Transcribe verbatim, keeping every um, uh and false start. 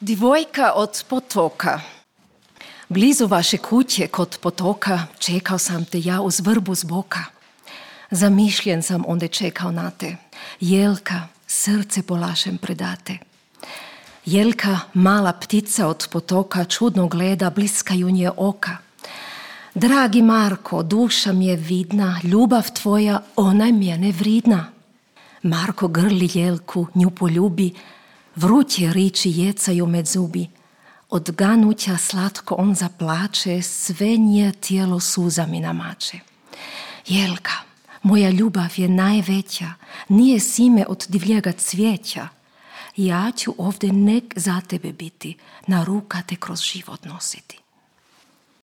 Djevojka od potoka. Blizu vaše kuće kod potoka čekao sam te ja uz vrbu z boka. Zamišljen sam onda čekao na te. Jelka, srce polašem predate. Jelka, mala ptica od potoka, čudno gleda, bliskaju nje oka. Dragi Marko, duša mi je vidna, ljubav tvoja, ona je mjene vridna. Marko grli Jelku, nju poljubi, vruće riči jecaju med zubi. Od ganuća slatko on zaplače, sve nje tijelo suzami namače. Jelka, moja ljubav je najveća, nije sime od divljega cvijeća. Ja ću ovdje nek za tebe biti, na ruka te kroz život nositi.